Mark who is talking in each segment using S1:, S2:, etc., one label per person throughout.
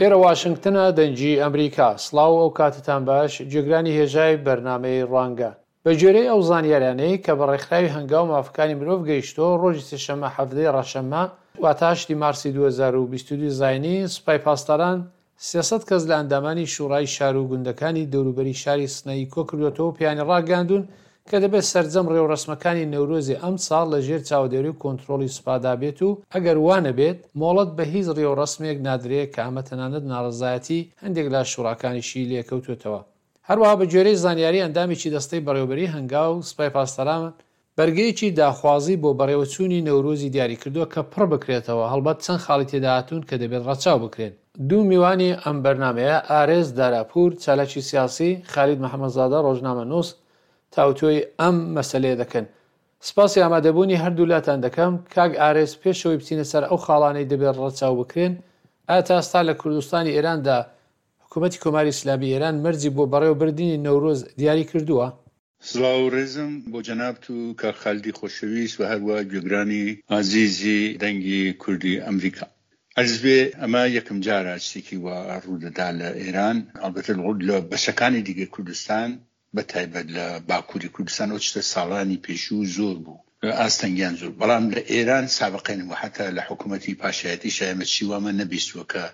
S1: ئێرە واشنگتنە دەنگی ئەمریکا. سڵاو و ئەوکاتەتان باش گوێگرانی هێژای بەرنامەی ڕوانگە. بە گوێرەی ئەو زانیاریانەی کە بە ڕێکخراوی هەنگاو مافەکانی مرۆڤ گەیشتووە ڕۆژی سێشەممە 17 ی ڕەشەممە واتە هەشت ی مارسی 2022 زاینی سوپای پاسداران 300 کەس لە ئەندامانی شوڕای شار و گوندەکانی دەوروبەری شاری سنەی کۆکردووەتەوە و پێیانی ڕاگەیاندوون کە دەبێت سەرجەم ڕێوڕەسمەکانی نەورۆزی ئەمساڵ لە ژێر چاودێری و کۆنترۆڵی سوپادا بێت و ئەگەر وا نەبێت مۆڵەت بە هیچ ڕێوڕەسمێک نادرێ کە ئەمە تەنانەت ناڕەزایەتی هەندێک لە شوڕاکانیشی لێکەوتووەتەوە. هەروەها بە گوێرەی زانیاری ئەندامێکی دەستەی بەڕێوەبەریی هەنگاو، سوپای پاسداران بەرگەیەکی داخوازی بۆ بەڕێوەچوونی نەورۆزی دیاریکردووە کە پڕ بکرێتەوە، هەڵبەت چەند خاڵی تێدا هاتوون کە دەبێت ڕەچاو بکرێن. دوو میوانی ئەم بەرنامەیە ئارێز داراپوور، چالاکی سیاسی، خالید محەمەدزادە، ڕۆژنامەنووس، تاوتوێی ئەم مەسەلەیە دەکەن. سپاسی ئامادەبوونی هەردوولاتان دەکەم. کاک ئارێز پێش ئەوەی بچینە سەر ئەو خاڵانەی دەبێت ڕەچاو بکرێن، ئایا تا ئێستا لە کوردستانی ئێراندا حکوومەتی کۆماری ئیسلامیی ئێران مەرجی بۆ بەڕێوەبردنی نەورۆز دیاری کردووە؟
S2: سڵاو و ڕێزم بۆ جەنابت و کاک خالدی خۆشەویست و هەروا گوێگرانی ئازیزی دەنگی کوردی ئەمریکا. عەرز بێ ئەمە یەکەم جارە شتێکی وا ڕوو دەدا لە ئێران، ئەڵبەتە لە بەشەکانی دیکەی کوردستان بە تایبەت لە باکووری کوردستان ئەو شتە ساڵانی پێشوو زۆر بوو، ئاستەنگیان زۆر، بەڵام لە ئێران سابقەی نەبوو، حەتا لە حکوومەتی پاشایەتیشا ئێمە چی وامان نەبیستووە کە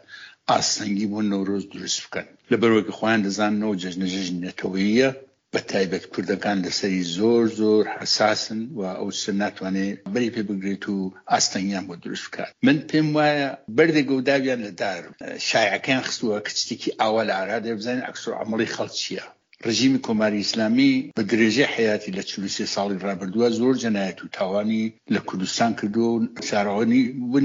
S2: ئاستەنگی بۆ نەورۆز دروست بکەن، لەبەرئەوەی کە خۆیان دەزانن ئەو جەژنە جەژنی نەتەوەییە، بە تایبەت کوردەکان لەسەری زۆر زۆر حەساسن و ئەو شتە ناتوانێ بەری پێ بگرێت و ئاستەنگیان بۆ دروست بکات. من پێم وایە بەردێک گەوداویان لە دار شایعەکەیان خستووە کە شتێکی ئاوا لە ئارادایە بزانین عەکسولعەمەڵی خەڵک چییە. ڕژیمی کۆماری ئیسلامی بە درێژەی حەیاتی لە 43 ساڵی ڕابردووە زۆر جەنایەت و تاوانی لە کوردستان کردووە و شاراوە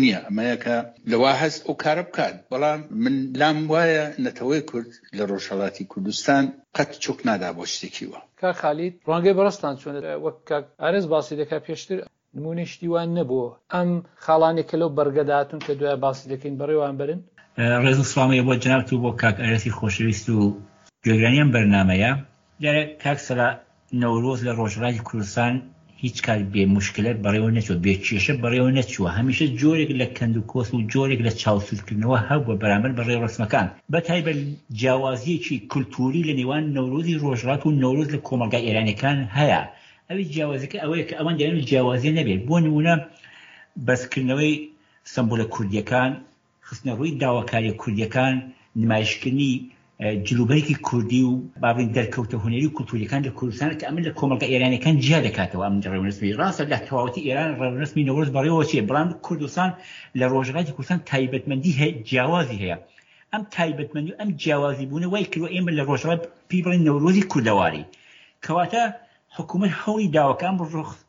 S2: نییە ئەمەیە کە لەوا هەست ئەو کارە بکات، بەڵام من لام وایە نەتەوەی کورد لە ڕۆژهەڵاتی کوردستان قەت چۆک نادا بۆ شتێکی وا.
S1: کاک خالید، ڕوانگەی بەڕێزتان چۆنە؟ وەک کاک ئارێز باسی دەکات پێشتر نموونەی شتی وا نەبووە. ئەم خاڵانەی کە لەو بەڕگەدا هاتوون کە دوایە باسی دەکەین بەڕێوەیان بەرن؟
S3: ڕێز و سڵاوم هەیە بۆ جەنابت و بۆ کاک ئارێزی خۆشەویست و گوێگرانی ئەم بەرنامەیە. دیارە کاک سەلا نەورۆز لە ڕۆژهەڵاتی کوردستان هیچ کات بێ موشکلە بەڕێوە نەچووە، بێ کێشە بەڕێوە نەچووە، هەمیشە جۆرێک لە کەند و کۆسپ و جۆرێک لە چاوسوورکردنەوە هەبووە بەرامبەر بە ڕێوڕەسمەکان، بە تایبەت جیاوازییەکی کولتووری لە نێوان نەورۆزی ڕۆژهەڵات و نەورۆز لە کۆمەڵگا ئێرانییەکان هەیە، ئەویش جیاوازییەکە ئەوەیە کە ئەوان دەیانەوێت جیاوازییە نەبێت، بۆ نموونە بەرزکردنەوەی سەمبولە کوردییەکان خستنەڕووی داواکارییە کوردییەکان، نمایشکردنی جلوبەرگی کوردی و با بڵێین دەرکەوتە هونەری و کولتوورییەکان لە کوردستان کە ئەمە لە کۆمەڵگە ئێرانییەکان جیا دەکاتەوە. ئەم ڕێوڕەسمی ڕاستە لە تەواوەتی ئێران ڕێوڕەسمی نەورۆز بەڕێوە چێ، بەڵام کوردستان لە ڕۆژهەڵاتی کوردستان تایبەتمەندی هەیە، جیاوازی هەیە. ئەم تایبەتمەندی و ئەم جیاوازی بوونە وای کردووە ئێمە لە ڕۆژهەڵات پێی بڵێین نەورۆزی کوردەواری. کەواتە حکوومەت هەوڵی داوە کە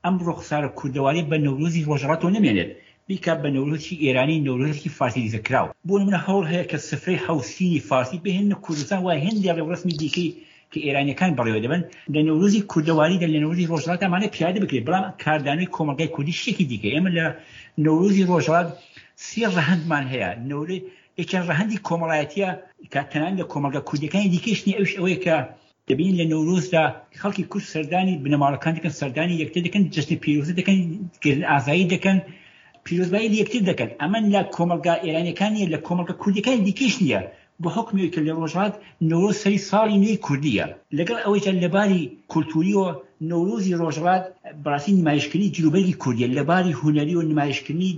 S3: ئەم ڕوخسارە کوردەوارییە بە نەورۆزی ڕۆژهەڵاتەوە نەمێنێت، بیکات بە نەورۆزێکی ئێرانی، نەورۆزێکی فارسیزەکراو. بۆ نموونە هەوڵ هەیە کە سفرەی حەوسینی فارسی بهێننە کوردستان و هێندێ ڕێوڕەسمی دیکەی کە ئێرانییەکان بەڕێوە دەبەن لە نەورۆزی کوردەواریدا، لە نەورۆزی ڕۆژهەڵاتدا ئەمانە پیادە بکرێت، بەڵام کاردانەوەی کۆمەڵگای کوردی شتێکی دیکەیە. ئێمە لە نەورۆزی ڕۆژهەڵات سێ ڕەهەندمان هەیە، یەکیان ڕەهەندی کۆمەڵایەتییە کە تەنانەت لە کۆمەڵگا کوردییەکانی دیکەیش نییە، ئەویش ئەوەیە کە دەبینین لە نەورۆزدا خەڵکی کورد سەردانی بنەماڵەکان دەکەن، سەردانی یەکتر دەکەن، جەژنە پیرۆزە دەکەن، گەردن ئازایی دەکەن، پیرۆزبایی لە یەکتر دەکەن. ئەمە لە کۆمەڵگا ئێرانیەکان نییە، لە کۆمەڵگا کوردیەکانی دیکەیش نییە، بە حوکمی ئەوەی کە لە ڕۆژهەڵات نەورۆز سەری ساڵی نوێی کوردییە. لەگەڵ ئەوەیشدا لە باری کولتوورییەوە نەورۆزی ڕۆژهەڵات بەڕاستی نمایشکردنی جلوبەرگی کوردییە، لە باری هونەرییەوە نمایشکردنی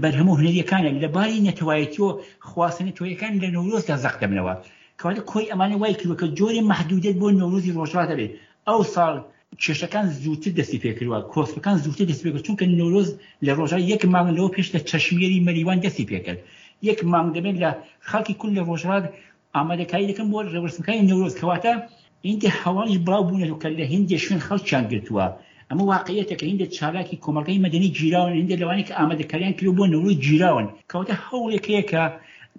S3: بەرهەمە هونەرییەکانە، لە باری نەتەوایەتییەوە خواستە نەتەوەیەکان لە نەورۆزدا زەق دەبنەوە. کەواتە کۆی ئەمانە وای کردوە کە جۆرێ مەحدودیەت بۆ نەورۆزی ڕۆژهەڵات هەبێت. ئەوساڵ کێشەکان زووتر دەستی پێکردوە، کۆسپەکان زووتر دەستی پێکرد، چونکە نەورۆز لە ڕۆژهەڵات یەک مانگ لەوە پێش لە چەشمێری مەریوان دەستی پێکرد. یەک مانگ دەبێت لە خەڵکی کورد لە ڕۆژهەڵات ئامادەکاری دەکەن بۆ ڕێوڕەسمەکانی نەورۆز. کەواتە هیندێ هەواڵیش بڵاو بوونەتەوە کە لە هیندێ شوێن خەڵکیان گرتووە. ئەمە واقعیەتە کە هیندێ چالاکی کۆمەڵگای مەدەنی گیراون، هیندێ لەوانەی کە ئامادەکاریان کردووە بۆ نەورۆز گیراون. کەواتە هەوڵێک هەیە کە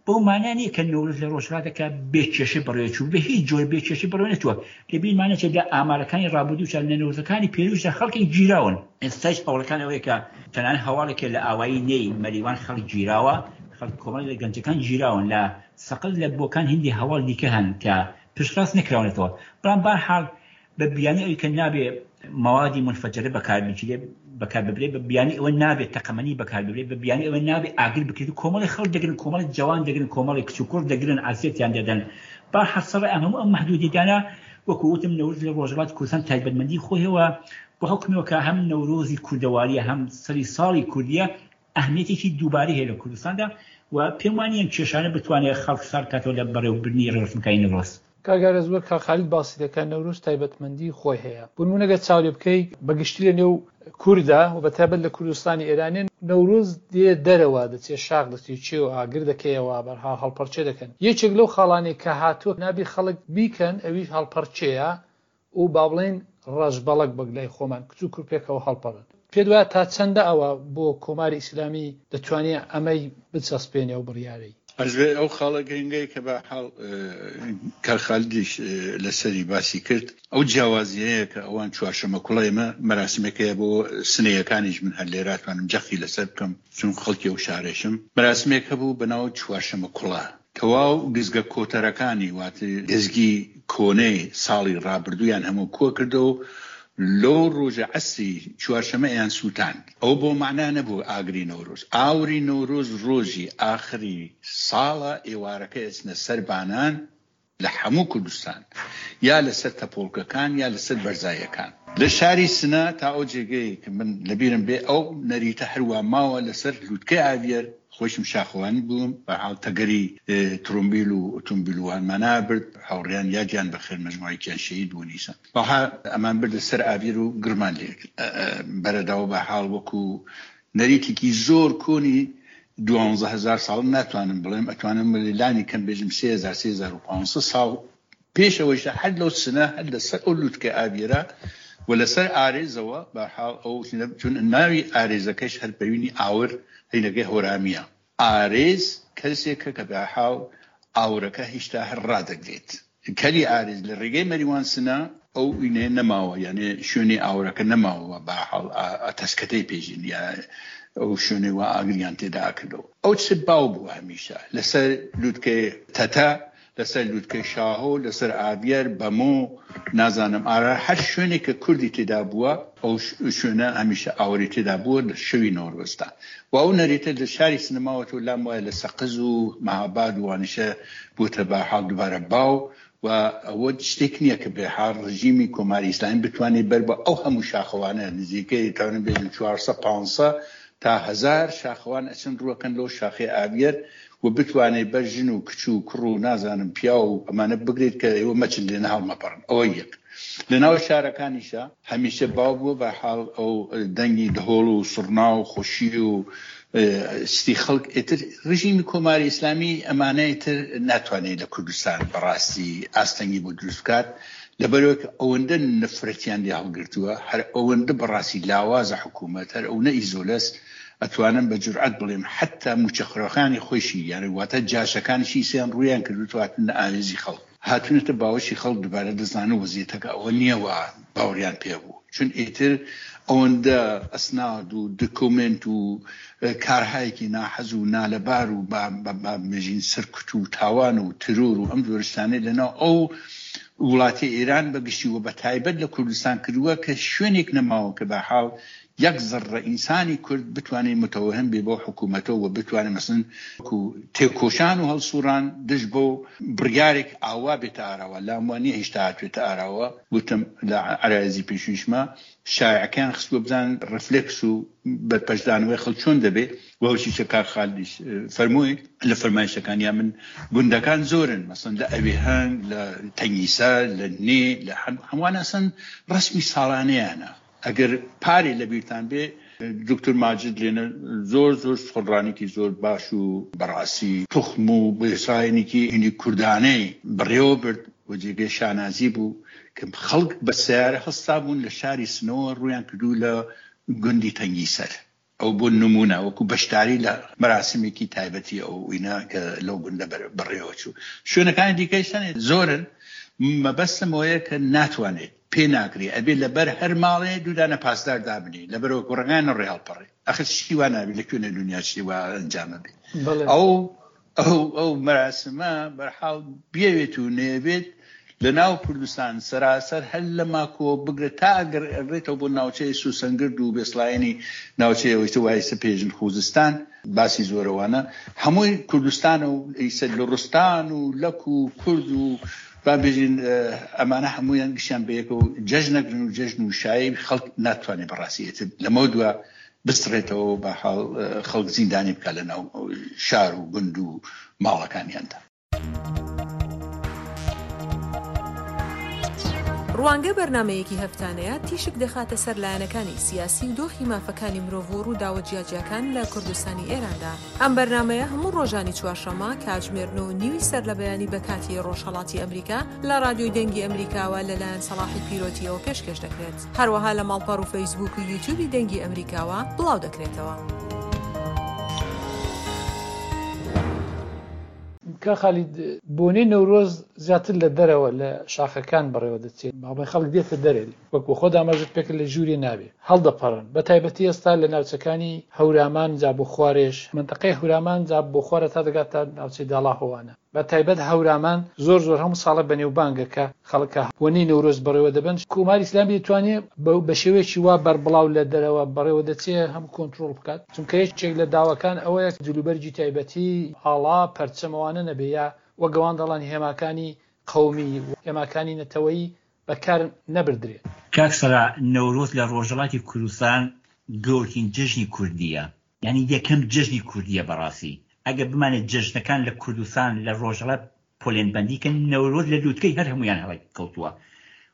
S3: بەو مانا نییە کە نەورۆز لە ڕۆژهەڵاتە کە بێ کێشە بەڕێوە چوو، بە هیچ جۆر بێ کێشە بەڕێوە نەچووە. لە بیرمان نەچێت لە ئامارەکانی ڕابردووشدا لە نەورۆزەکانی پێرووشدا خەڵکێک گیراون. ئێستایش هەوڵەکان ئەوەیە کە تەنانەت هەواڵێک هەیە لە ئاوایی نێی مەریوان خەڵک گیراوە، خەڵک کۆمەڵێک لە گەنجەکان گیراون. لە سەقز لە بۆکان هیندێ هەواڵ دیکە هەن کە پشتڕاست نەکراونەتەوە، بەڵام بەهەرحاڵ بە بیانوی ئەوی کە نابێ مەوادی مونفەجەرە بەکار بگیرێ. بەکار ببرێت، بە بیانوی ئەوە نابێت تەقەمەنی بەکار ببرێت، بە بیانوی ئەوە نابێت ئاگر بکرێت و کۆمەڵی خەڵک دەگرن، کۆمەڵی جەوان دەگرن، کۆمەڵی کچ و کوڕ دەگرن، عەزیەتیان دەدەن. با حەسەڕ ئەم هەموو ئەم مەحدودیەتانە وەکو وتم نەورۆز لە ڕۆژهەڵاتی کوردستان تایبەتمەندی خۆی هەیە بە حوکمەوە کە هەم نەورۆزی کوردەواریە هەم سەری ساڵی کوردیە ئەهمیەتێکی دووبارەی هەیە لە کوردستاندا و پێم وا نییە ئەم کێشانە بتوانێت خەڵک سارد بکاتەوە لە بەڕێوەبردنی ڕێوڕەسمەکانی نەورۆز.
S1: کاک ئارەز وەک کاک خالید باسی دەکات نەورۆز تایبەتمەندی خۆی هەیە بۆ نموونە گەر چاو لێ بکەی بە گشتی لە نێو کوردا و بە تایبەت لە کوردستانی ئێرانێ نەورۆز دێ دەرەوە دەچێ شاخ دەچێ چێ و ئاگر دەکەیەوە بەرحاڵ هەڵپەڕکێ دەکەن یەکێک لەو خاڵانەی کە هاتووە نابی خەڵک بیکەن ئەویش هەڵپەڕکێیە و با بڵێین ڕەشبەڵەک وەک لای خۆمان کچ و کوڕ پێکەوە هەڵپەڕن. پێت وایە تا چەندە ئەوە بۆ کۆماری ئیسلامی دەتوانێ ئەمەی بچەسپێنێ ئەو بڕیارەی؟
S2: ئەزبێ ئەو خاڵە گرنگەی کە بە حاڵ کاک خالدیش لەسەری باسی کرد ئەو جیاوازیەیە کە ئەوان چوارشەمە کوڵە ئێمە مەراسمێک هەیە بۆ سنەیەکانیش من هەر لێرە ئەتوانم جەختی لەسەر بکەم چون خەڵکی ئەو شارەشم مەراسمێک هەبوو بەناو چوارشەمە کوڵە تەواو گزگە کۆتەرەکانی واتە گزگی کۆنەی ساڵی ڕابردوویان هەموو کۆ کردەوە و لەو ڕۆژە عەسری چوارشەمە ئەیان سووتاند. ئەوە بۆ مەعنا نەبوو ئاگری نەورۆز. ئاوری نەورۆز ڕۆژی ئاخری ساڵە ئێوارەکەی ئەچنە سەر بانان لە هەموو کوردستان یا لەسەر تەپۆڵکەکان یا لەسەر بەرزاییەکان. لە شاری سنە تا ئەو جێگەی کە من لەبیرم بێ ئەو نەریتە هەروا ماوە لەسەر لووتکەی ئاویەر خۆیشم شاخەوانی بووم، بەرحاڵ تەگەری ترۆمبیل و ئۆتۆمبیل و وانمان ئەبرد، هاوڕێیان یادیان بەخێر مەجموعەیەکیان شەهید بوون ئیسا وەها ئەمان بردە سەر ئاویەر و گڕمان لێ بەرەدا و بەرحاڵ وەکوو نەریتێکی زۆر کۆنی 12000 ساڵ ناتوانم بڵێم ئەتوانم لانی کەم بێژم 3000 3500 ساڵ پێش ئەوەیشە هەر لەو سنە هەر لەسەر ئەو لوتکە ئاویەرە و لەسەر ئارێزەوە بەرحاڵ ئەو چون ناوی ئارێزەکەش هەر بەوینی ئاور هینەکەی هۆرامیە ئارێز کەسێکە کە بەرحاڵ ئاورەکە هیشتا هەر ڕادەگرێت کەلی ئارێز لە ڕێگەی مەریوان سنە ئەو ئینەیە نەماوە یانێ شوێنی ئاورەکە نەماوە بەرحاڵ ئەتەسکەتەی پێژین یا ئەو شوێنەی وا ئاگریان تێدا ئەکردەوە ئەو چ باو بوو هەمیشە لەسەر لوتکەی تەتە لەسەر لوتکەی شاهۆ، لەسەر ئاڤیەر، بەمۆ، نازانم ئارا، هەر شوێنێک کە کوردی تێدا بووە، ئەو شوێنە هەمیشە ئاوری تێدا بووە لە شەوی نەورۆزدا. و ئەو نەریتە لە شاری سنە ماوەتەوە، لام وایە لە سەقز و مەهاباد و وانیشە بووتە بە حاڵ دووبارە باو و ئەوە شتێک نییە کە بێ حاڵ ڕژیمی کۆماری ئیسلامی بتوانێت بەر بە ئەو هەموو شاخەوانە نزیکەی توانم بێژم 400 500 تا هەزار شاخەوان ئەچن ڕووەکەن لەو شاخەی ئاویەر و بتوانێ بەر ژن و کچ و کوڕ و نازانم پیاو و ئەمانە بگرێت کە ئێوە مەچن لێنە هەڵمەپەڕن ئەوە یەک. لە ناو شارەکانیشا هەمیشە باو بووە بە حاڵ ئەو دەنگی دهۆڵ و سوڕنا و خۆشی و شتی خەڵک ئیتر ڕژیمی کۆماری ئیسلامی ئەمانە ئیتر ناتوانێت لە کوردستان بەڕاستی ئاستەنگی بۆ دروست بکات لەبەرئەوەی کە ئەوەندە نەفرەتیان لێ هەڵگرتووە هەر ئەوەندە بەڕاستی لاوازە حکوومەت هەر ئەونە ئیزۆلەس ئەتوانم بە جورئەت بڵێم حەتتا مووچەخۆرەکانی خۆیشی یانی واتە جاشەکانیشی سیان ڕوویان کردووتەوە هاتوونە ئاوێزی خەڵک هاتوونەتە باوەشی خەڵک دووبارە دەزانن وەزیەتەکە ئەوە نییە وا باوەڕیان پێ بوو چون ئیتر ئەوەندە ئەسناد و دکۆمێنت و کارهایەکی ناحەز و نالەبار و با بێژین سەرکوت و تاوان و ترۆر و ئەم جۆرە شتانەی لەناو ئەو وڵاتی ئێران بە گشتی و بە تایبەت لە کوردستان کردووە کە شوێنێک نەماوە کە بە حاڵ یەک زەڕڕە ئینسانی کورد بتوانێ متەوەهەم بێ بەو حکوومەتەوە و بتوانێ مەسەلەن وەکوو تێکۆشان و هەڵسووڕان دژ بەو بڕیارێک ئاوا بێتە ئاراوە لام وا نییە هیشتا هاتوێتە ئاراوە وتم لە عەرایزی پێشوویشما شایعەکەیان خستووە بزانن ڕفلێکس و بەرپەرچدانەوەی خەڵک چۆن دەبێ و هەرچی چە کاک خالدیش فەرمووی لە فەرمایشەکانیا من گوندەکان زۆرن مەسەن لە ئەوێهەنگ لە تەنگیسەر لە نێ لە هەمووان ئەسەن ڕەسمی ساڵانەیانە ئەگەر پارێ لە بیرتان بێ دکتور ماجد لێنە زۆر زۆر سخنڕانیکی زۆر باش و بەڕاستی توخم و بێسایەنێکی هینی کوردانەی بەڕێوە برد و جێگەی شانازی بوو کە خەڵک بە سەیارە هەستابوون لە شاری سنەوە ڕوویان کردوو لە گوندی تەنگیسەر ئەو بۆ نموونە وەکوو بەشداری لە مەراسمێکی تایبەتی ئەو وینە کە لەو گوندە بەڕێوە چوو. شوێنەکانی دیکەیش هەن زۆرن، مەبەستم ئەوەیە کە ناتوانێت، پێ ناکرێ، ئەبێ لەبەر هەر ماڵێ دوو دانە پاسدار دابنێی، لەبەرئەوە کوڕەکان نەڕۆی هەڵپەڕێ. ئەخر شتی وا نابێ، لە کوێنە دونیا شتی وا ئەنجام ئەبێ؟ ئەو ئەو ئەو مەراسمە بەرحاڵ بیەوێت و نەیەوێت. لە ناو کوردستان سەراسەر هەر لە ماکۆ بگرە تا ئەگەڕێتەوە بۆ ناوچەی سوسەنگرد و بێسڵایەنی ناوچەی ئەوەی تر وایسە پێژن خوزستان باسی زۆرەوانە هەمووی کوردستانە و ئیسە لوڕستان و لەک و کورد و با بێژین ئەمانە هەموویان گشتیان بەیەکەوە جەژنەگرن و جەژن و شایی خەڵک ناتوانێت بەڕاستی ئیتر لەمەو دوا بسڕێتەوە بە حاڵ خەڵک زیندانی بکات لە ناو شار و گوند و ماڵەکانیاندا.
S4: ڕوانگە بەرنامەیەکی هەفتانەیە تیشک دەخاتە سەر لایەنەکانی سیاسی و دۆخی مافەکانی مرۆڤ و ڕووداوە جیاجیاکان لە کوردستانی ئێراندا. ئەم بەرنامەیە هەموو ڕۆژانی چوارشەممە کاتژمێر نۆ و نیوی سەرلەبەیانی بە کاتی ڕۆژهەڵاتی ئەمریکا لە ڕادیۆی دەنگی ئەمریکاوە لەلایەن سەڵاحی پیرۆتییەوە پێشکێش دەکرێت. هەروەها لە ماڵپەڕ و فەیسبووک و یوتیوبی دەنگی ئەمریکاوە بڵاو دەکرێتەوە.
S1: کاک خالید، بۆنەی نەورۆز زیاتر لە دەرەوە لە شاخەکان بەڕێوە دەچێت، باڵێ خەڵک دێتە دەرێ وەک خۆت ئاماژەت پێکرد لە ژوورێ نابێ هەڵدەپەڕن بە تایبەتی ئێستا لە ناوچەکانی هەورامان جا بۆ خوارێش مەنتەقەی هەورامان جا بۆ خوارە تا دەگاتە ناوچەی داڵاهۆوانە بە تایبەت هەورامان زۆر زۆر هەموو ساڵە بەنێوبانگە کە خەڵک کە بۆنەی نەورۆز بەڕێوە دەبەن، کۆماری ئیسلامی دەتوانێ بە شێوەیەکی وا بەربڵاو لە دەرەوە بەڕێوە دەچێ هەم کۆنترۆڵ بکات، چونکە یەکێک لە داواکان ئەوەیە جلوبەرگی تایبەتی، ئاڵا، پەرچەم ئەوانە نەبێ یا وەک ئەوان دەڵێن هێماکانی قەومی و هێماکانی نەتەوەیی بەکار نەبردرێ.
S3: کاک سەلا، نەورۆز لە ڕۆژهەڵاتی کوردستان گەورترین جەژنی کوردییە، یانی یەکەم جەژنی کوردییە بەڕاستی ئەگەر بمانێ جەژنەکان لە کوردستان لە ڕۆژهەڵات پۆلێن بەندی کەن نەورۆز لە لوتکەی هەر هەموویان هەڵی کەوتووە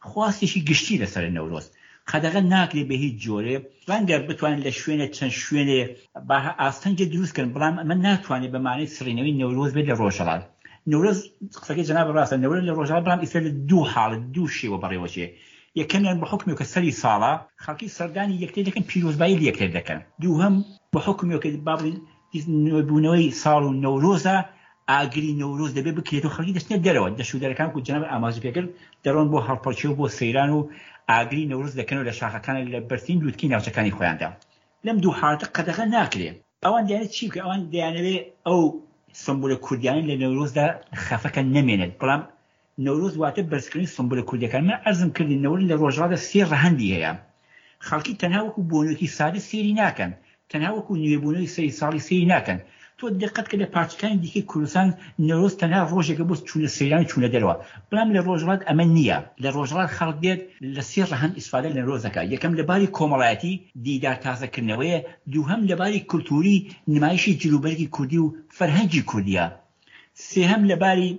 S3: خواستێکی گشتی لەسەرە نەورۆز قەدەغە ناکرێ بە هیچ جۆرێ ڕەنگە بتوانن لە شوێنێ چەند شوێنێ با ئاستەنگێ دروست کەن بەڵام ئەمە ناتوانێت بە مانای سڕینەوەی نەورۆز بێت لە ڕۆژهەڵات نەورۆز قسەکەی جەناب ڕاستە نەورۆز لە ڕۆژهەڵات بەڵام ئیستا لە دوو حاڵەت دوو شێوە بەڕێوەچێ یەکەمیان بە حوکمێ کە سەری ساڵە خەڵکی سەردانی یەکتر دەکەن پیرۆزبایی لە یەکتر دەکەن دووهەم بە حوکمێ کە با بڵێین نوێبوونەوەی ساڵ و نەورۆزە ئاگری نەورۆز دەبێ بکرێت و خەڵکی دەچنە دەرەوە دەشت و دەرەکان وەکو جەنابت ئاماژە پێکرد دەڕۆن بۆ هەڵپەڕکێ و بۆ سەیران و ئاگری نەورۆز دەکەنەوە لە شاخەکان لە بەرزترین لوتکەی ناوچەکانی خۆیاندا لەم دوو حاڵەتە قەدەغە ناکرێ. ئەوان دەیانەوێت چی بکەن؟ ئەوان دەیانەوێت ئەو سمبولە کوردیانە لە نەورۆزدا خەفەکە نەمێنێت، بەڵام نەورۆز واتە بەرزکردنی سمبولە کوردیەکان. من عەرزم کردی نەورۆز لە ڕۆژهەڵاتدا سێ ڕەهەندی هەیە. خەڵکی تەنها وەکو بۆنەیەکی سادە سەیری ناکەن، تەنها وەکو نوێبوونەوەی سەری ساڵی سەیری ناکەن. تۆ دقەت کە لە پارچەکانی دیکەی کوردستان نەورۆز تەنها ڕۆژێکە بۆ چوونە سەیران و چوونە دەرەوە، بەڵام لە ڕۆژهەڵات ئەمە نییە. لە ڕۆژهەڵات خەڵک دێت لە سێ ڕەهەند ئیسفادە لە نەورۆز دەکات، یەکەم لە باری کۆمەڵایەتی دیدار تازەکردنەوەیە، دووهەم لە باری کولتووری نمایشی جلوبەرگی کوردی و فەرهەنگی کوردییە، سێهەم لە باری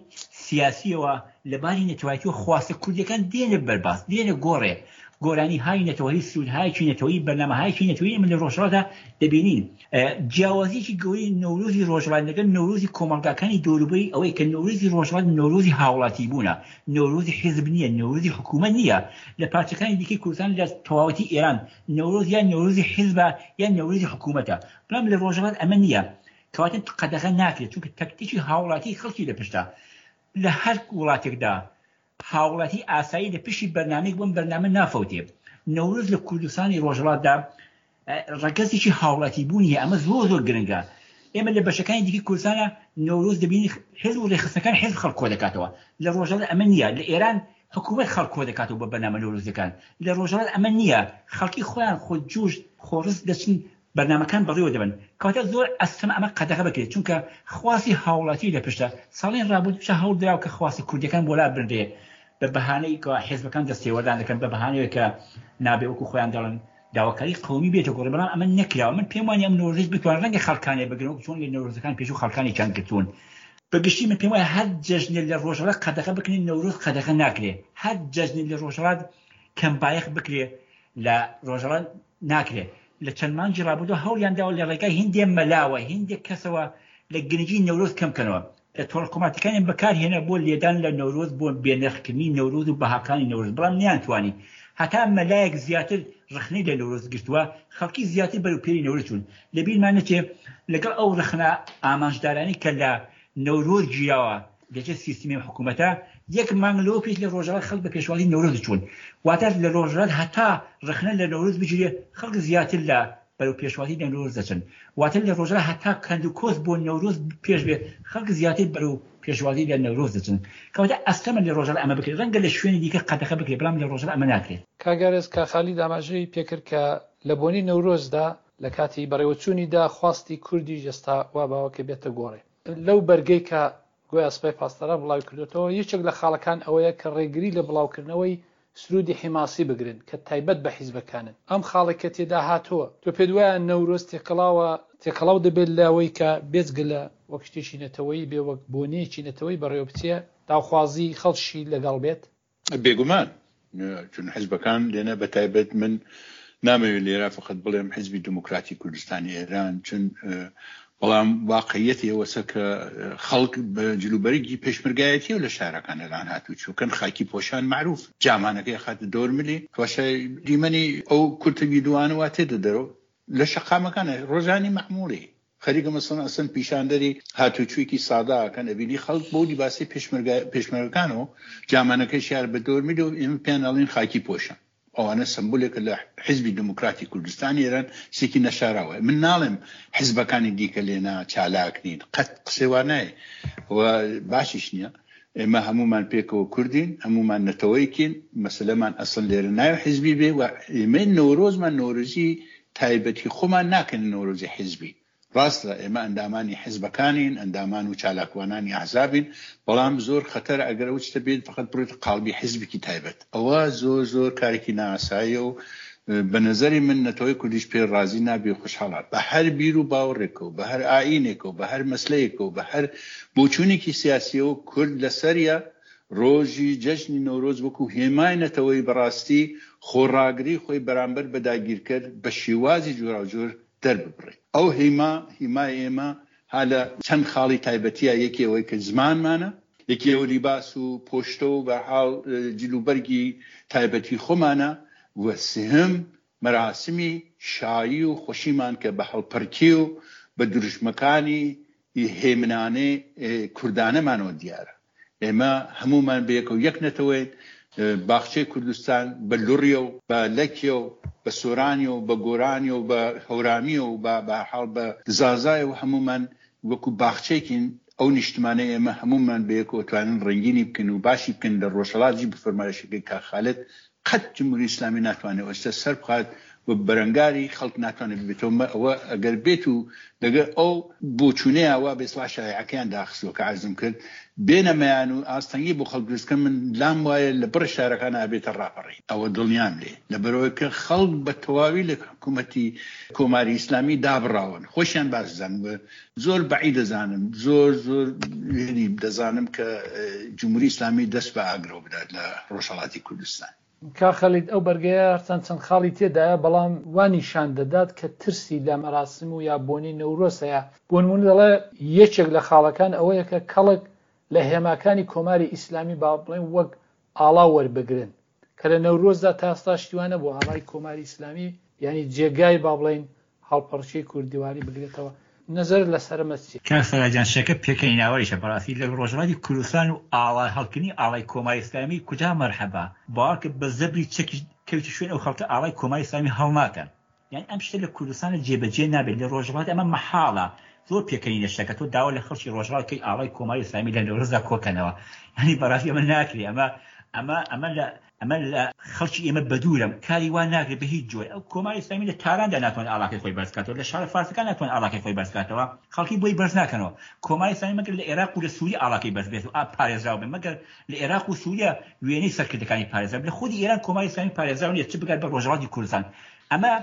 S3: سیاسییەوە لە باری نەتەوایەتیەوە خواستە کوردیەکان دێنە بەرباس، دێنە گۆڕێ، گۆرانی های نەتەوەیی، سروودهایەکی نەتەوەیی، بەرنامەهایەکی نەتەوەیی ئێمە لە ڕۆژهەڵاتدا دەبینین. جیاوازیەکی گەورەی نەورۆزی ڕۆژهەڵات لەگەڵ نەورۆزی کۆمەڵگاکانی دەوروبەری ئەوەیە کە نەورۆزی ڕۆژهەڵات نەورۆزی هاوڵاتیبوونە، نەورۆزی حیزب نییە، نەورۆزی حکوومەت نییە. لە پارچەکانی دیکەی کوردستان لە تەواوەتی ئێران نەورۆز یان نەورۆزی حیزبە یان نەورۆزی حکوومەتە، بەڵام لە ڕۆژهەڵات ئەمە نییە. کەواتە قەدەغە ناکرێت چونکە تەکتیکی هاوڵاتی خەڵکی لە پشتە. لە هەر وڵاتێکدا هاوڵاتی ئاسایی لە پشتی بەرنامەیەک بۆم بەرنامە نافەوتێ. نەورۆز لە کوردستانی ڕۆژهەڵاتدا ڕەگەزێکی هاوڵاتی بوونی هەیە، ئەمە زۆر زۆر گرنگە. ئێمە لە بەشەکانی دیکەی کوردستانە نەورۆز دەبینین حیزب و ڕێکخستنەکان حیزب خەڵک کۆدەکاتەوە. لە ڕۆژهەڵات ئەمە نییە. لە ئێران حکوومەت خەڵک کۆدەکاتەوە بە بەرنامە نەورۆزیەکان. لە ڕۆژهەڵات ئەمە نییە. خەڵکی خۆیان خۆجوش خۆڕست دەچن بەرنامەکان بەڕێوە دەبەن. کەواتە زۆر ئەستەمە ئەمە قەدەغە بکرێت، چونکە خواستی هاوڵاتی لە پشتە. ساڵانی ڕابردووشە هەوڵ دراوە کە خواستە کوردیەکان بۆ لا بنرێ بە بەهانەی کە حیزبەکان دەستێوەردان دەکەن، بە بەهانەوەی کە نابێ وەکو خۆیان دەڵێن داواکاری قەومی بێتە گۆڕێ، بەڵام ئەمە نەکراوە. من پێم وانیە ئەم نەورۆزەیش بتوانن ڕەنگە خەڵکانێ بگرن وەکو چۆن لە نەورۆزەکان پێشوو خەڵکانێکیان گرتوون. بە گشتی من پێم وایە هەر جەژنێ لە ڕۆژهەڵات قەدەغە بکرێ نەورۆز قەدەغە ناکرێ، هەر جەژنێ لە ڕۆژهەڵات کەم بایەخ بکرێ لە ڕۆژهەڵات ناکرێ. لە چەند مانگی ڕابردوو هەوڵیان داوە لە ڕێگای هیندێ مەلاوە، هیندێک کەسەوە لە گرنگی نەورۆز کەم کەنەوە. لە تۆڕە کۆمەڵاتیەکانیان بەکار هێنا بۆ لێدان لە نەورۆز، بۆ بێنرخکردنی نەورۆز و بەهاکانی نەورۆز، بەڵام نەیانتوانی. هەتا مەلایەک زیاتر ڕەخنەی لە نەورۆز گرتووە، خەڵکی زیاتر بەرەو پێری نەورۆز چوون. لە بیرمان نەچێ لەگەڵ ئەو ڕەخنە ئامانجدارانەی کە لە نەورۆز گیراوە لەژێر سیستمی ئەم حکوومەتە، یەک مانگ لەوە پێش لە ڕۆژهەڵات خەڵک بە پێشوازی نەورۆز چوون. واتە لە ڕۆژهەڵات هەتا ڕەخنە لە نەورۆز بگیرێ، خەڵک زیاتر لە. بەرەو پێشوازی نەورۆز دەچن. واتە لە ڕۆژهەڵات هەتا کەند و کۆس بۆ نەورۆز پێش بێ خەڵک زیاتر بەرەو پێشوازی لە نەورۆز دەچن. کەواتە ئەستەمە لە ڕۆژهەڵات ئەمە بکرێت. ڕەنگە لە شوێنی دیکە قەدەخە بکرێت بەڵام لە ڕۆژهەڵات ئەمە ناکرێت.
S1: کاک ئارێز کاک خالید ئاماژەی پێکرد کە لە بۆنەی نەورۆزدا لە کاتی بەڕێوەچوونیدا خواستی کوردیش ئێستا وا باوە کە بێتە گۆڕێ. لەو بەرگەی کە گۆیا سپای پاسداران بڵاوی کردۆتەوە، یەکێک لە خاڵەکان ئەوەیە کە ڕێگری لە بڵاوکردنەوەی سروودی حیماسی بگرن کە تایبەت بە حیزبەکانن. ئەم خاڵەی کە تێدا هاتووە، تۆ پێت وایە نەورۆز تێکەڵاوە تێکەڵاو دەبێت لەوەی کە بێجگە لە وەک شتێکی نەتەوەیی بێ وەک بۆنەیەکی نەتەوەیی بەڕێوە بچێ، داوخوازی خەڵکیشی لەگەڵ بێت؟
S2: بێگومان چون حزبەکان لێنە بە تایبەت من نامەوێت لێرە فقط بڵێم حزبی دموکراتی کوردستانی ئێران چون بەڵام واقعیەتی ئەوەسە کە خەڵک بە جلوبەرگی پێشمەرگایەتی و لە شارەکان ئەلان هاتوو چوکەن خاکی پۆشان معروف جامانەکەی خاتە دەور ملی واشە دیمەنی ئەو کورتە ویدوانە وا تێدە دەرەوە لە شەقامەکانە ڕۆژانی مەعمولی خەریکە مەسەڵەن ئەسەن پیشاندەری هاتوچویەکی سادە ئەکەن ئەبینی خەڵک بەو لیباسەی پێشمەرگە پێشمەرگەکانەوە جامانەکەشیان بە دەور میلە و ئێمە پێیان ئەڵێن خاکی پۆشان ئەوانە سەمبولێکە لە حزبی دموکراتی کوردستانی ئێران شتێکی نەشاراوە من ناڵێم حزبەکانی دیکە لێنا چالاک نین قەت قسەی وا نایە و باشیش نییە ئێمە هەمومان پێکەوە کوردین هەمومان نەتەوەیەکین مەسەلەمان ئەسڵ لێرە ناوی حزبی بێ و ئێمە نەورۆزمان نەورۆزی تایبەتی خۆمان ناکەینە نەورۆزی حیزبی. ڕاستە ئێمە ئەندامانی حیزبەکانین، ئەندامان و چالاکوانانی ئەحزابین، بەڵام زۆر خەتەرە ئەگەر ئەو شتە بێت فەقەت بڕۆیتە قاڵبی حیزبێکی تایبەت. ئەوە زۆر زۆر کارێکی نائاساییە و بە نەزەری من نەتەوەی کوردیش پێ ڕازی نابێ و خۆشحاڵ بە هەر بیر و باوەڕێکەوە، بە هەر ئایینێکەوە، بە هەر مەسلەیەکەوە، بە هەر بۆچوونێکی سیاسییەوە کورد لەسەریە ڕۆژی جەژنی نەورۆز وەکوو هێمای نەتەوەیی بەڕاستی خۆڕاگری خۆی بەرامبەر بە داگیرکەر بە شێوازی جۆراوجۆر دەرببڕێ. ئەو هیما، هیمای ئێمە ها لە چەند خاڵی تایبەتییە، یەکێ ئەوەی کە زمانمانە، یەکێ ئەو لیباس و پۆشتە و بەرحاڵ جل و بەرگی تایبەتی خۆمانە و سێهەم مەراسمی شایی و خۆشیمان کە بە هەڵپەرکێ و بە دروشمەکانی هێمنانەی کوردانەمانەوە دیارە. ئێمە هەموومان بەیەکەوە یەک نەتەوەین، باخچەی کوردستان بە لوڕیە و بە لەکیە و بە سۆرانیە و بە گۆرانیە و بە هەورامیە و بە بەهەرحاڵ بە زازایە و هەموومان وەکو باخچەیەکین، ئەو نیشتمانەی ئێمە هەموومان بەیەکەوە توانین ڕەنگینی بکەین و باشی بکەین لە ڕۆژهەڵات جی بە فەرمایشەکەی کاک خالد قەت جمهوری ئیسلامی ناتوانێت ئێستا سەر بخات و بەرەنگاری خەڵک ناتوانێت ببێتەوە ئەوە ئەگەر بێت و لەگەر ئەو بۆچوونەیە وا بێ سڵا شایعەکەیان داخستووە کە عەرزم کرد بێنە مەیان و ئاستەنگی بۆ خەڵک دروست کەن من لام وایە لە بڕێ شارەکان ئابێتە ڕاپەڕین ئەوە دڵنیام لێ لەبەرئەوەی کە خەڵک بە تەواوی لە حکوومەتی کۆماری ئیسلامی دابڕاون خۆشیان باش دەزانن و زۆر بەعید دەزانم زۆر زۆر یعنی دەزانم کە جمهوری ئیسلامی دەست بە ئاگرەوە بدات لە ڕۆژهەڵاتی کوردستان.
S1: کاک خالید ئەو بەرگەیە هەرچەند چەند خاڵی تێدایە بەڵام وا نیشان دەدات کە ترسی لە مەراسم و یا بۆنەی نەورۆز هەیە بۆ نموونە دەڵێ یەکێک لە خاڵەکان ئەوەیە کە کەڵک لە هێماکانی کۆماری ئیسلامی با بڵێن وەک ئاڵا وەربگرن کە لە نەورۆزدا تا ئێستا شتی وا نەبووە ئاڵای کۆماری ئیسلامی یانی جێگای با بڵێین هەڵپەڕکێی کوردیواری بگرێتەوە نەزەرت لەسەر ئەمە چیە؟
S3: کاک سەلا گیان شەکە پێکەنیناوەریشە بەڕاستی لە ڕۆژهەڵاتی کوردستان و ئاڵا هەڵکردنی ئاڵای کۆماری ئیسلامی کوجا مەرحەبا باوەڕکە بە زەبری چەکیش کەویتە شوێن ئەو خەڵکە ئاڵای کۆماری ئیسلامی هەڵناکەن یانی ئەم شتە لە کوردستانە جێبەجێ نابێت لە ڕۆژهەڵات ئەمە مەحاڵە زۆر پێکەنینە شتەکە تۆ داوا لە خەڵکی ڕۆژهەڵات کەی ئاڵای کۆماری ئیسلامی لە نەورۆزدا کۆکەنەوە یانی بەڕاستی ئەمە ناکرێ ئەمە ئەمە ئەمە لە ئەمە لە خەڵکی ئێمە بەدوورە کاری وا ناکرێت بە هیچ جۆرێ ئەو کۆماری ئیسلامی لە تاراندا ناتوانێت ئاڵاکەی خۆی بەرز کاتەوە لە شارە فارسەکان ناتوانێت ئاڵاکەی خۆی بەرز کاتەوە خەڵکی بۆی بەرز ناکەنەوە کۆماری ئیسلامی مەگەر لە عێراق و لە سووریە ئاڵاکەی بەرز بێت و ئا پارێزراو بێت مەگەر لە عێراق و سووریە وێنەی سەرکردەکانی پارێزراو لە خودی ئێران کۆماری ئیسلامی پارێزراو نییە چ بگات بە ڕۆژهەڵاتی کوردستان ئەمە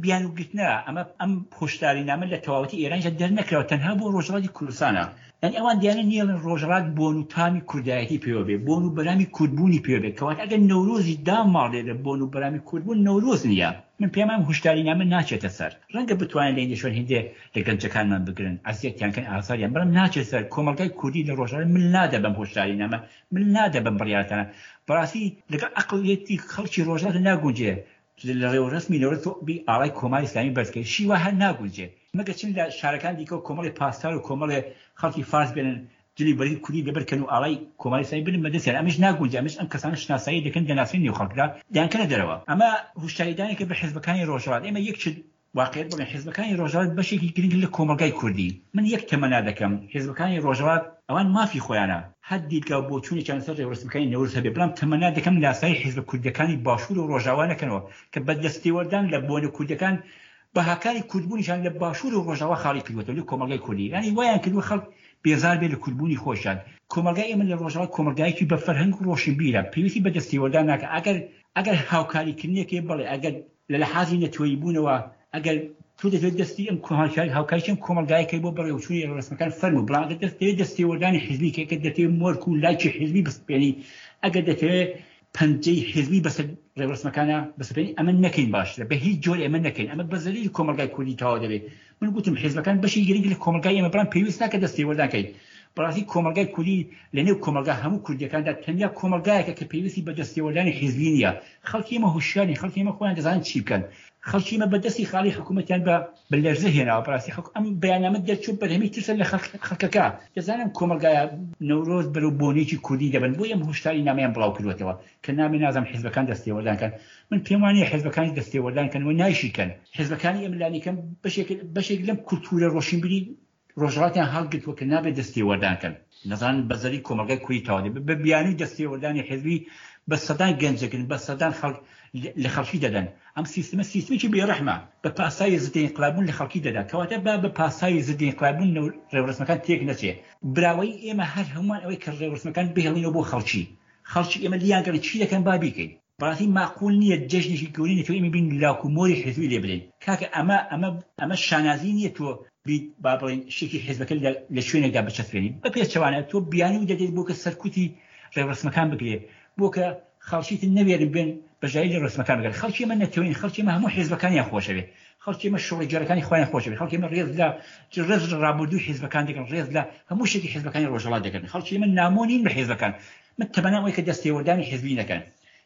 S3: بیانوو گرتنە، ئەمە ئەم هۆشدارینامە لە تەواوەتی ئێرانیشدا دەرنەکراوە، تەنها بۆ ڕۆژهەڵاتی کوردستانە. یانی ئەوان دیانە نیەڵێن ڕۆژهەڵات بۆن و تامی کوردایەتی پێوە بێ، بۆن و بەرامی کوردبوونی پێوە بێ، کەواتە ئەگەر نەورۆزیش داماڵێ لە بۆن و بەرامی کوردبوون، نەورۆز نییە. من پێم وایە ئەم هۆشدارینامە ناچێتە سەر. ڕەنگە بتوانن لە هیندێ شوێن هیندێ لە گەنجەکانمان بگرن، ئەزیەتیان کەن، ئازاریان، بەڵام ناچێتە سەر. کۆمەڵگای کوردی لە ڕۆژهەڵات مل نادا بەم هۆشدارینامە، مل نادا بەم بڕیارانە. بەڕاستی لەگەڵ عەقڵیەتی خەڵکی ڕۆژهەڵات ناگونجێ. لە ڕێوڕەسمی نەورۆز تۆ بی ئاڵای کۆماری ئیسلامی بەرز کەی شی وا هەر ناگونجێ مەگەر چن لە شارەکان دیکەوە کۆمەڵێ پاسدار و کۆمەڵێ خەڵکی فارس بێنن جلی بەرگی کوردی لەبەر کەن و ئاڵای کۆماری ئیسلامی بنن بە دەستیان ئەمەش ناگونجێ ئەمەش ئەم کەسانە شناسایی دەکەن دەناسرێن نێو خەڵکدا دەیانکەنە دەرەوە ئەمە هوشداریدانێکە بە حیزبەکانی ڕۆژهەڵات ئێمە یەک شت. واقعیت بڵێن حیزبەکانی ڕۆژهەڵات بەشێکی گرنگن لە کۆمەڵگای کوردی. من یەک تەمەنا دەکەم حیزبەکانی ڕۆژهەڵات ئەوان مافی خۆیانە هەر دیدگا و بۆچوونێکیان لەسەر ڕێوڕەسمەکانی نەورۆز هەبێ بەڵام تەمەنا دەکەم لاسایی حیزبە کوردیەکانی باشوور و ڕۆژاوا نەکەنەوە کە بە دەستێوەردان لە بۆنە کوردیەکان بەهاکانی کوردبوونیشیان لە باشوور و ڕۆژاوا خاڵی کردووەتەوە لە کۆمەڵگای کوردی یانی وایان کردووە خەڵک بێزار بێت لە کوردبوونی خۆشیان. کۆمەڵگای ئێمە لە ڕۆژاوا کۆمەڵگایەکی بە فەرهەنگ و ڕۆشنبیرە پێویستی بە دەستێوەردان ناکا ئەگەر ئەگەر هاوکاریکردنێک هەیە بەڵێ ئەگەر لە لەحازی نەتەوەیی بوونەوە ئەگەر تۆ دەتەوێت دەستی ئەم هاوکاری هاوکاریی ئەم کۆمەڵگایە کەی بۆ بەڕێوەچوونی ڕێوڕەسمەکان فەرموو بەڵام ئەگەر دەتەوێت دەستێوەردانی حیزبی کەی ئەگەر دەتەوێت مۆرک و لایکی حیزبی بسەپێنی ئەگەر دەتەوێت پەنجەی حیزبی بەسەر ڕێوڕەسمەکانا بسەپێنی ئەمە نەکەین باشترە بە هیچ جۆرێ ئەمە نەکەین ئەمە بە زەرەری کۆمەڵگای کوردی تەواو دەبێت من گوتم حیزبەکان بەشی گرنگ لە کۆمەڵگای ئێمە بەڵام پێویست ناکە دەستێوەردان کەین بەڕاستی کۆمەڵگای کوردی لە نێو کۆمەڵگا هەموو کوردیەکاندا تەنیا کۆمەڵگایەکە کە پێویستی بە دەستێوەردانی حیزبی نییە خەڵکی ئێمە هوشیارین خەڵکی ئێمە خۆیان دەزانن چی بکەن خەڵکی ئێمە بە دەستی خاڵی حکوومەتیان بە بە لەرزە هێناوە بەڕاستی حک ئەم بەیاننامە دەرچوو بەرهەمی ترسە لە خەڵکەکە دەزانم کۆمەڵگایە نەورۆز بەرەو بۆنێکی کوردی دەبن بۆیە ئەم هۆشداری نامەیان بڵاو کردووەتەوە کە نابێ نازانم حیزبەکان دەستێوەردان کەن من پێم وانیە حیزبەکانیش دەستێوەردان کەن و نایشیکەن حیزبەکانی ئێمە لانیکەم بەشێک بەشێک لەم کولتوورە ڕۆشنبیری ڕۆژهەڵاتیان هەڵگرتووە کە نابێت دەستێوەردان کەن. نەزانن بە زەرەری کۆمەڵگای کوردی تەواو دەبێت. بە بیانووی دەستێوەردانی حیزبی بە سەدان گەنج دەگرن، بە سەدان خەڵک لە خەڵکی دەدەن. ئەم سیستمە سیستمێکی بێڕەحمە. بە پاساوی زدە ئینقلاببوون لە خەڵکی دەدا. کەواتە با بە پاساوی زدە ئینقلاببوون ڕێوڕەسمەکان تێک نەچێ. براوەیی ئێمە هەر هەموومان ئەوەیە کە ڕێوڕەسمەکان بهێڵینەوە بۆ خەڵکی. خەڵکی ئێمە لیان گەڕێن چی دەکەن با بیکەین. بەڕاستی ماقول نیە جەژنێکی گەورەی نەتەوەی ئێمە بین لاک و مۆری حیزبی لێ بدەین کاکە ئەمە ئەمە ئەمە شانازی نیە تۆ بیت با بڵێین شتێکی حیزبەکە لە لە شوێنێکدا بچەسپێنی بە پێچەوانە تۆ بیانوو دەدەیت بۆ کە سەرکوتی ڕێوڕەسمەکان بکرێ بۆ کە خەڵکی تر نەوێرن بێن بەشداری لە ڕێوڕەسمەکان بکەن خەڵکی ئێمە نەتەوەین خەڵکی ئێمە هەموو حیزبەکانیان خۆشەوێ خەڵکی ئێمە شۆڕشگێڕەکانی خۆیان خۆشەوێ خەڵکی ئێمە ڕێز لە ڕێز لە ڕابردووی حیزبەکان دەگرن ڕێز لە هەموو شتێکی حیزبەکانی ڕۆژهەڵات دەگرن خەڵکی ئێمە نامۆ نین بە حیزبەکان من تەمەنام ئەوەی کە دەستێوەردانی حیزبی نەکەن.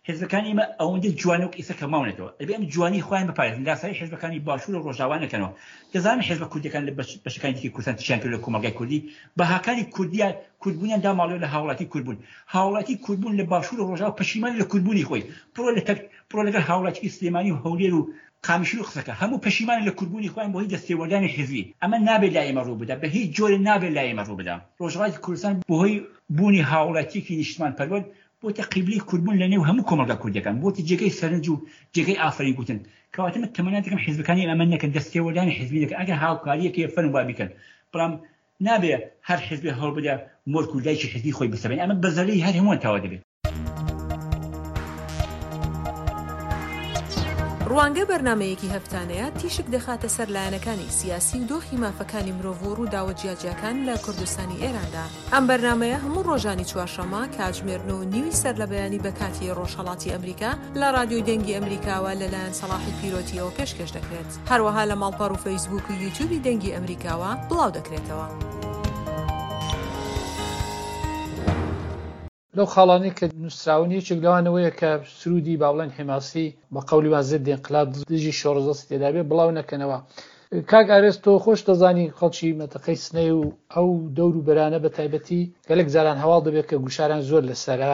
S3: حیزبەکانی ئێمە ئەوەندە جوانە وەک ئیستا کە ماونەتەوە. ئەبێ ئەم جوانی خۆیان بپارێزن، لاسایی حیزبەکانی باشوور و ڕۆژاوا نەکەنەوە. دەزانن حیزبە کوردیەکان لە بەشەکانی دیکەی کوردستان چیان کردوە لە کۆمەڵگای کوردی؟ بەهاکانی کوردیان، کوردبوونیان داماڵیوە لە هاوڵاتی کوردبوون. هاوڵاتی کوردبوون لە باشوور و ڕۆژاوا پەشیمانە لە کوردبوونی خۆی. بڕۆ لە تەک، بڕۆ لەگەڵ هاوڵاتیکی سلێمانی و هەولێر و قامیشلو قسەکە. هەموو پەشیمانن لە کوردبوونی خۆیان بەهۆی دەستێوەردانی حیزبی. ئەمە نابێت لای ئێمە ڕووبدا. بە هیچ جۆرێ نابێت لای ئێمە ڕووبدا. ڕۆژهەڵاتی کوردستان بەهۆی بوونی هاوڵاتیەکی نیشتمانپەروەر بۆتە قیبلەی کوردبوون لە نێو هەموو کۆمەڵگا کوردیەکان، بۆتە جێگەی سەرنج و جێگەی ئافەرین گوتن. کەواتە من تەمەنا دەکەم حیزبەکانی ئێمە ئەمە نەکەن، دەستێوەردانی حیزبی نەکەن، ئەگەر هاوکاریەک هەیە فەرموو با بیکەن، بەڵام نابێ هەر حیزبێ هەوڵ بدا مۆرک و لایکی حیزبی خۆی بسەپێنێ، ئەمە بە زەرەری هەر هەمووان تەواو دەبێ.
S4: ڕوانگە بەرنامەیەکی هەفتانەیە تیشک دەخاتە سەر لایەنەکانی سیاسی و دۆخی مافەکانی مرۆڤ و ڕووداوە جیاجیاکان لە کوردستانی ئێراندا. ئەم بەرنامەیە هەموو ڕۆژانی چوارشەممە کاتژمێر نۆ و نیوی سەرلەبەیانی بە کاتی ڕۆژهەڵاتی ئەمریکا لە ڕادیۆی دەنگی ئەمریکاوە لەلایەن سەڵاحی پیرۆتییەوە پێشکێش دەکرێت. هەروەها لە ماڵپەڕ و فەیسبووک و یوتیوبی دەنگی ئەمریکاوە بڵاو دەکرێتەوە.
S1: لەو خاڵانەی کە نووسراون یەکێک لەوان ئەوەیە کە سروودی با بڵێن حیماسی بە قەولی وان زد انقلاب دژی شۆڕش دەستی تێدا بێ بڵاو نەکەنەوە. کاک ئارێز تۆ خۆش دەزانی خەڵکی مەنتەقەی سنەی و ئەو دەور و بەرانە بە تایبەتی گەلێک جاران هەواڵ دەبێت کە گوشاران زۆر لەسەرە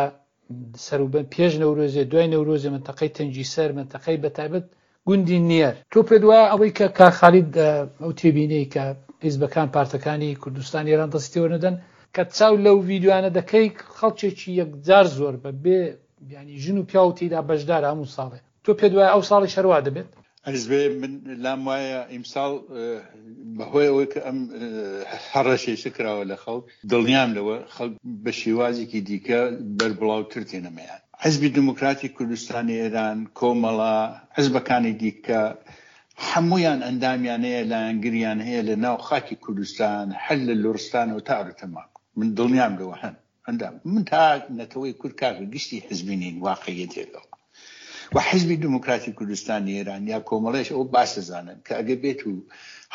S1: سەروبن پێش نەورۆزێ دوای نەورۆزێ مەنتەقەی تەنگیسەر مەنتەقەی بە تایبەت گوندی نیەر. تۆ پێت وایە ئەوەی کە کاک خالید ئەو تێبینەی کە حیزبەکان پارتەکانی کوردستان ئێران دەستی تێوە نەدەن، کە چاو لەو ڤیدیۆیانە دەکەی خەڵکێکی یەکجار زۆر بە بێ یانی ژن و پیاو تێیدا بەشدارە هەموو ساڵێ تۆ پێت وایە ئەو ساڵیش هەر وا دەبێت؟
S2: ئەرز بێ من لام وایە ئیمساڵ بەهۆی ئەوەی کە ئەم هەڕەشەیشە کراوە لە خەڵک دڵنیام لەوە خەڵک بە شێوازێکی دیکە بەربڵاوتر تێنەمەیان. حزبی دیموکراتی کوردستانی ئێران، کۆمەڵە، حزبەکانی دیکە هەموویان ئەندامیان هەیە، لایەنگریان هەیە لە ناو خاکی کوردستان هەر لە لوڕستانەوە تا ئەرتەماک. من دڵنیام لەوە هەن ئەندام. من تا نەتەوەی کورد کاکە گشتی حزبی نین واقعیەتێکەوە و حزبی دیموکراتی کوردستانی ئێران یا کۆمەڵەیش ئەوە باش دەزانن کە ئەگەر بێت و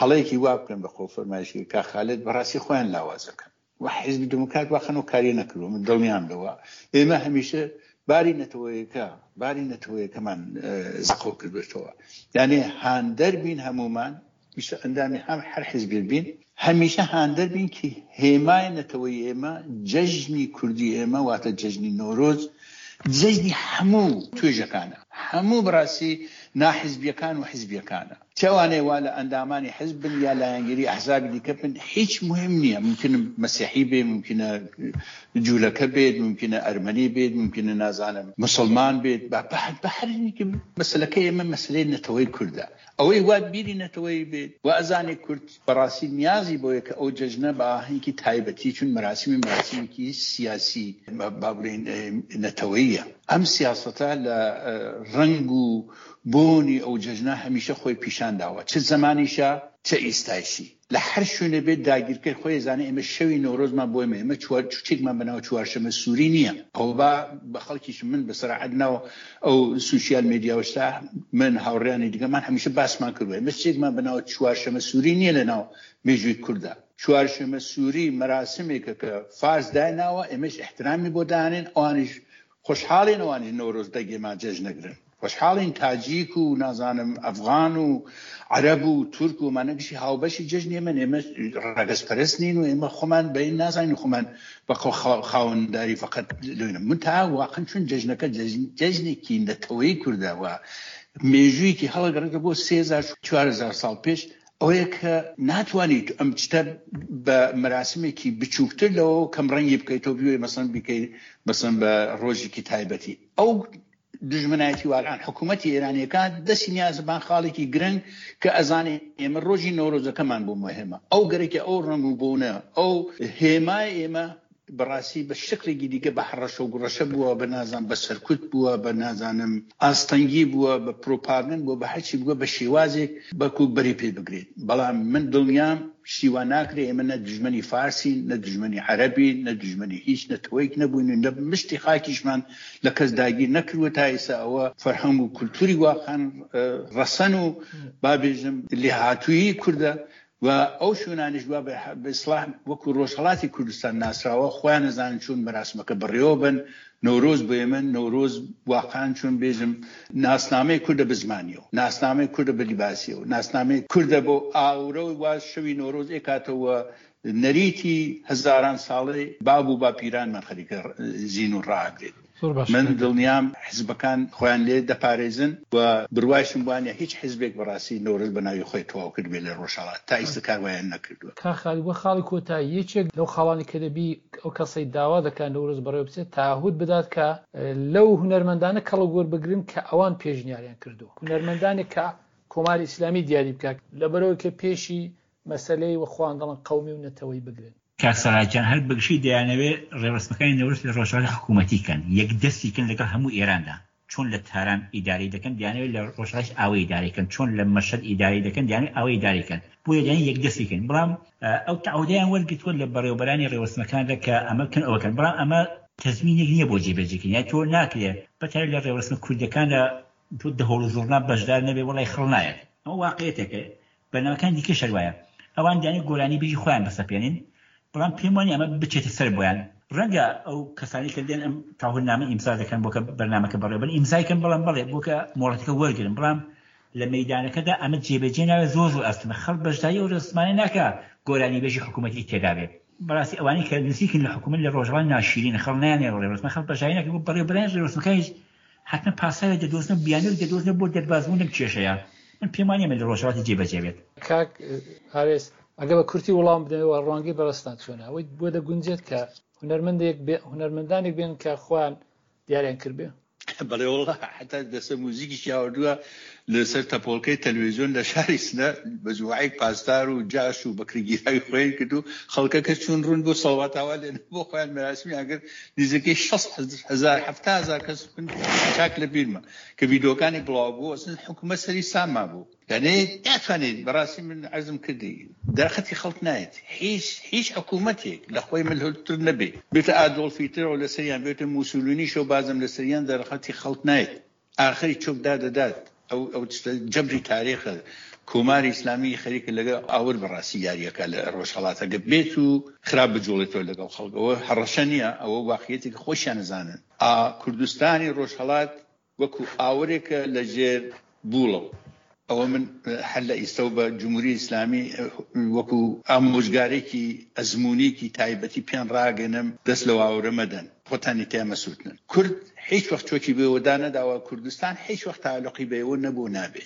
S2: هەڵەیەکی وا بکەن بە خۆ فەرمایشی کاک خالد بەڕاستی خۆیان لاواز دەکەن. و حیزبی دموکرات وا خەنەو کاری نەکردوە من دڵنیام لەوە ئێمە هەمیشە باری نەتەوەیەکە باری نەتەوەیەکەمان زەقەو کردوێتەوە یانێ هاندەر بین هەمومان ویسە ئەندامی هەم هەر حیزبێک بین هەمیشە هاندەر بین کە هێمای نەتەوەی ئێمە جەژنی کوردی ئێمە واتە جەژنی نۆرۆز جەژنی هەموو توێژەکانە هەموو بەڕاستی ناحیزبیەکان و حیزبیەکانە. چ ئەوانەی وا لە ئەندامانی حزب بن یا لایەنگیری ئەحزابی دیکە بن هیچ مهم نییە ممکنە مەسیحی بێ ممکنە جوولەکە بێت ممکنە ئەرمەنی بێت ممکنە نازانم مسلمان بێت بە هەر مەسلەکە ئێمە مەسلەی نەتەوەی کوردە ئەوەی وا بیری نەتەوەیی بێت و ئەزانێ کورد بەڕاستی نیازی بۆیە کە ئەو جەژنە بە ئاهەنگی تایبەتی چون مەراسیمی مەراسیمێکی سیاسی با بڵێین نەتەوەییە ئەم سیاسەتە لە ڕەنگ و بۆنی ئەو جەژنە هەمیشە خۆی پیشان داوە چ زەمانیشە چ ئیستایشی. لە هەر شوێنێ بێت داگیرکەر خۆی ئەزانێ ئێمە شەوی نەورۆزمان بۆ ئێمە ئێمە چوار چوچێکمان بە ناو چوارشەمە سووری نییە ئەوە با بە خەڵکیش من بە سەراحەت ناو ئەو سوسیال مێدیا و شتا من هاوڕیانی دیکەمان هەمیشە باسمان کردووە ئێمە شتێکمان بە ناو چوارشەمە سووری نییە لە ناو مێژووی کووردا چوارشەمە سووری مەراسمێکە کە فارس دایناوە ئێمەش ئیحترامی بۆ دانێن ئەوانیش خۆشحاڵین ئەوانیش نەورۆز دەگێمان جەژنەگرن خۆشحاڵین تاجیک و نازانم ئەفغان و عەرەب و تورک و ئەمانە گشتی هاوبەشی جەژنی ئێمەن ئێمە ڕەگەزپەرست نین و ئێمە خۆمان بە نازانین خۆمان بە خاوەنداری فقط لۆینە منتها واقعا چون جەژنەکە جەژنێکی نەتەوەیی کوردە و مێژوویەکی هەڵەگەڕێتە بۆ 3000 4000 ساڵ پێش ئەوەیە کە ناتوانیت ئەم شتە بە مەراسمێکی بچووکتر لەوە کەم ڕەنگی بکەیتەوە بیوێ مەسەن بیکەی مەسەن بە ڕۆژێکی تایبەتی ئەو دوژمنایەتی واقعا حکوومەتی ئێرانیەکان دەستی نیازبان خاڵێکی گرنگ کە ئەزانێ ئێمە ڕۆژی نەورۆزەکەمان بۆ مهمە ئەو گەرەکە ئەو ڕەنگ و بۆنە ئەو هێمای ئێمە بەڕاستی بە شکڵێکی دیکە بە هەڕەشە و گوڕەشە بووە، بە نازانم بە سەرکوت بووە، بە نازانم ئاستەنگی بووە، بە پرۆپاگەند بووە، بە هەرچی بووە بە شێوازێک بەڵکوو بەری پێ بگرێت. بەڵام من دڵنیام شتی وا ناکرێ، ئێمە نە دوژمنی فارسین، نە دوژمنی عەرەبین، نە دوژمنی هیچ نەتەوەیەک نەبووین و نە مشتی خاکیشمان لە کەس داگیر نەکردووە تا ئیستا ئەوە فەرهەنگ و کولتووری واقعەن ڕەسەن و با بێژم لێهاتوویی کوردە و ئەو شوێنانەش وا بە ئیسڵاح وەکو ڕۆژهەڵاتی کوردستان ناسراوە خۆیان ئەزانن چۆن مەراسمەکە بەڕێوە بەن، نەورۆز بۆ ئێمە نەورۆز واقعەن چۆن بێژم ناسنامەی کوردە بە زمانیەوە، ناسنامەی کوردە بە لیباسیەوە، ناسنامەی کوردە بۆ ئاورە وا شەوی نەورۆز ئێکاتەوە نەریتی هەزاران ساڵەی باب و باپیرانمان خەریکە زینوو ڕائەگرێت.
S1: زۆر باشە
S2: من
S1: کاک دکتۆر.
S2: دڵنیام حزبەکان خۆیان لێ دەپارێزن و بروایشم وانیە هیچ حزبێک بەڕاستی نەورۆز بە ناوی خۆی تەواو کردبێ لە ڕۆژهەڵات تا ئیستە کار وایان نەکردوە.
S1: کاک خالید وەک خاڵی کۆتایی یەکێک لەو خاڵانەی کە دەبی ئەو کەسەی داوا دەکات نەورۆز بەڕێوە بچێت تەعەهود بدات کە لەو هونەرمەندانە کەڵک وەربگرن کە ئەوان پێشنیاریان کردووە هونەرمەندانێک کە کۆماری ئیسلامی دیاری بکات لەبەرئەوەی کە پێشی مەسەلەی وە خۆیان دەڵێن قەومی و نەتەوەیی بگرن.
S3: کاک سەلاح گیان هەر بەگشتی دەیانەوێ ڕێوڕەسمەکانی نەورۆز لە ڕۆژهەڵات حکوومەتی کەن، یەکدەستی کەن لەگەڵ هەموو ئێراندا، چۆن لە تاران ئیدارەی دەکەن دەیانەوێ لە ڕۆژهەڵاتیش ئاوە ئیدارەی کەن، چۆن لە مەشهەد ئیدارەی دەکەن دەیانەوێ ئاوە ئیدارەی کەن، بۆیە دەیانەوێ یەکدەستی کەن، بەڵام ئەو تەعەهودەیان وەرگرتووە لە بەڕێوەبەرانی ڕێوڕەسمەکاندا کە ئەمە بکەن ئەوە کەن، بەڵام ئەمە تەزمینێک نییە بۆ جێبەجێکردنی، یانی تۆ ناکرێ بەتایبەت لە ڕێوڕەسمە کوردییەکاندا تۆ دەهۆڵ و زوڕنا بەشدار نەبێ وەڵای خڕ نایەت، ئەمە واقعیەتێکە بەرنامەکانی دیکەش هەر وایە ئەوان دەیانەوێت گۆرانیبێژی خۆیان بسەپێنن بەڵام پێم وانیە ئەمە بچێتە سەر بۆیان ڕەنگە ئەو کەسانی کە دێن ئەم تاهورنامە ئیمزا دەکەن بۆ کە بەرنامەکە بەڕێوەبەرن ئیمزای کەن بەڵام بەڵێ بۆ کە مۆڵەتەکە وەرگرن بەڵام لە مەیدانەکەدا ئەمە جێبەجێ ناوێت زۆر زۆر ئەستەمە خەڵک بەشداری ئەو ڕێوڕەسمانە ناکا گۆرانیبێژی حکوومەتی تێدا بێت بەڕاستی ئەوانەی کە نزیکن لە حکوومەت لە ڕۆژئاوا ناشیرینە خەڵک نایانەوێت ڕێوڕەسمە خەڵک بەشداری ناکەن بۆ بەڕێوەبەرانی ڕێوڕەسمەکانیش حەتمەن پاساوێک دەدۆزنەوە، بیانووێک دەدۆزنەوە بۆ دەربازبوون لەم کێشەیە. من پێم وانییە ئەمە لە ڕۆژهەڵاتی جێبەجێ بێت.
S1: کاک ئارێز، ئەگەر بە کورتی وڵام بدەنەوە ڕوانگەی بەڕێزتان چۆنە؟ ئەوەی بۆ دەگونجێت کە هونەرمەندێک بێ هونەرمەندانێک بێن کە خۆیان دیاریان کردبێ؟
S2: بەڵێ وەڵا حەتا دەستە موزیکیشی هاوردووە لەسەر تەپۆڵکەی تەلویزیۆن لە شاری سنە مەجموعەیەک پاسدار و جاش و بەکرێگیراوی خۆیان کرد و خەڵکەکە چوون ڕوون بۆ سەڵوات ئاوا لێ بۆ خۆیان مەراسمیان کرد نزیکەی 6 هەزار 70 هەزار کەس من چاک لە بیرمە کە ڤیدیۆکانی بڵاو بوو ئەسن حکوومەت سەری ساما بوو یعنی ناتوانێت بەڕاستی من عەرزم کردی دەرخەتی خەڵک نایەت هیچ هیچ حکوومەتێک لە خۆی ملهورتر نەبێ بێتە ئادۆڵف هیتلەر لەسەریان بێتە موسولینیشەوە بازم لەسەریان دەرخەتی خەڵک نایەت ئاخری چۆک دادەدات ئەو ئەو شتە جەبری تاریخە کۆماری ئیسلامی خەریکە لەگەڵ ئاور بەڕاستی یاریەکە لە ڕۆژهەڵات ئەگەر بێت و خراپ بجوڵێتەوە لەگەڵ خەڵک ئەوە هەڕەشە نییە ئەوە واقعیەتێکە خۆشیان ئەزانن ئا کوردستانی ڕۆژهەڵات وەکو ئاورێکە لە ژێر بوڵەوە ئەوە من هەر لە ئیستەوە بە جمهوری ئیسلامی وەکو ئامۆژگارێکی ئەزموونیکی تایبەتی پێیان ڕاگەنم دەست لەو ئاورە مەدەن. خۆتانی تیا مەسووتنن. کورد هیچ وەخت چۆکی بەوە دانەداوە، کوردستان هیچ وەخت تەعەلوقی بەوە نەبوو نابێ.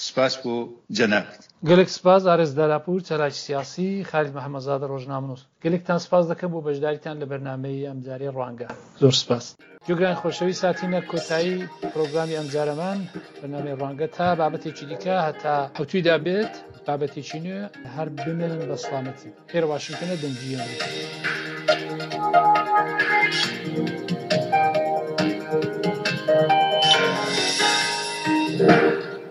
S2: سپاس بۆ جەنابت.
S1: گەلێک سپاس ئارێز داراپوور چالاکی سیاسی، خالید محەمەدزادە ڕۆژنامەنووس. گەلێکتان سپاس دەکەم بۆ بەشداریتان لە بەرنامەی ئەمجارەی ڕوانگە. زۆر سپاس. گوێگرانی خۆشەویست هاتینە کۆتایی پرۆگرامی ئەمجارەمان بەرنامەی ڕوانگە تا بابەتێکی دیکە هەتا حەوتوویدا بێت بابەتێکی نوێ هەر بمێنن بە سڵامەتی. ئێرە واشنگتنە دەنگی ئەمریکا.